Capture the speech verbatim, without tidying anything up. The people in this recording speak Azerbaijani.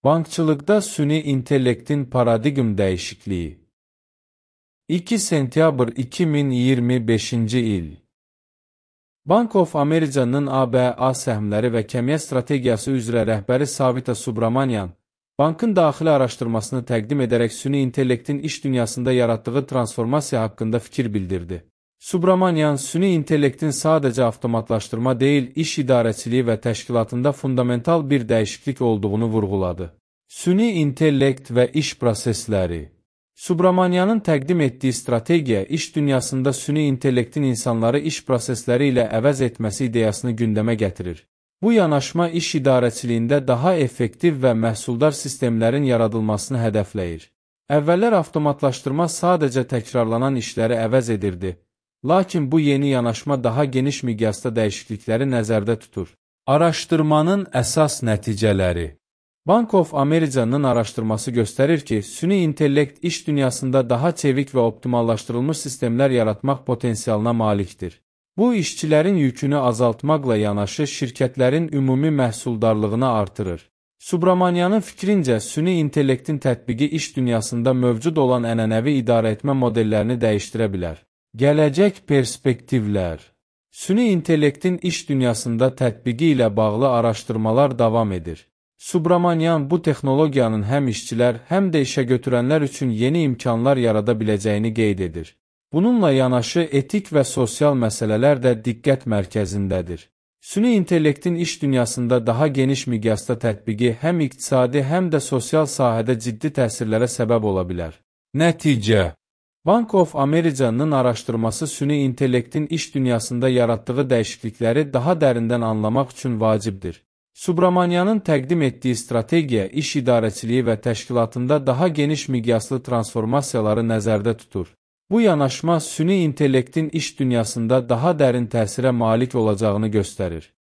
Bankçılıqda süni intellektin paradigm dəyişikliyi. iki sentyabr iki min iyirmi beşinci il. Bank of America'nın A B A səhmləri və kəmiyyə strategiyası üzrə rəhbəri Savita Subramanian, bankın daxili araşdırmasını təqdim edərək süni intellektin iş dünyasında yaratdığı transformasiya haqqında fikir bildirdi. Subramanian, süni intellektin sadəcə avtomatlaşdırma deyil, iş idarəçiliyi və təşkilatında fundamental bir dəyişiklik olduğunu vurğuladı. Süni intellekt və iş prosesləri. Subramanianın təqdim etdiyi strategiya, iş dünyasında süni intellektin insanları iş prosesləri ilə əvəz etməsi ideyasını gündəmə gətirir. Bu yanaşma iş idarəçiliyində daha effektiv və məhsuldar sistemlərin yaradılmasını hədəfləyir. Əvvəllər avtomatlaşdırma sadəcə təkrarlanan işləri əvəz edirdi. Lakin bu yeni yanaşma daha geniş miqyasda dəyişiklikləri nəzərdə tutur. Araşdırmanın əsas nəticələri. Bank of America'nın araşdırması göstərir ki, süni intellekt iş dünyasında daha çevik və optimallaşdırılmış sistemlər yaratmaq potensialına malikdir. Bu, işçilərin yükünü azaltmaqla yanaşı şirkətlərin ümumi məhsuldarlığını artırır. Subramanianın fikrincə, süni intellektin tətbiqi iş dünyasında mövcud olan ənənəvi idarəetmə modellərini dəyişdirə bilər. Gələcək perspektivlər. Süni intellektin iş dünyasında tətbiqi ilə bağlı araşdırmalar davam edir. Subramanian bu texnologiyanın həm işçilər, həm də işə götürənlər üçün yeni imkanlar yarada biləcəyini qeyd edir. Bununla yanaşı etik və sosial məsələlər də diqqət mərkəzindədir. Süni intellektin iş dünyasında daha geniş miqyasda tətbiqi həm iqtisadi, həm də sosial sahədə ciddi təsirlərə səbəb ola bilər. Nəticə. Bank of America'nın araşdırması süni intellektin iş dünyasında yaratdığı dəyişiklikləri daha dərindən anlamaq üçün vacibdir. Subramanianın təqdim etdiyi strategiya, iş idarəçiliyi və təşkilatında daha geniş miqyaslı transformasiyaları nəzərdə tutur. Bu yanaşma süni intellektin iş dünyasında daha dərin təsirə malik olacağını göstərir.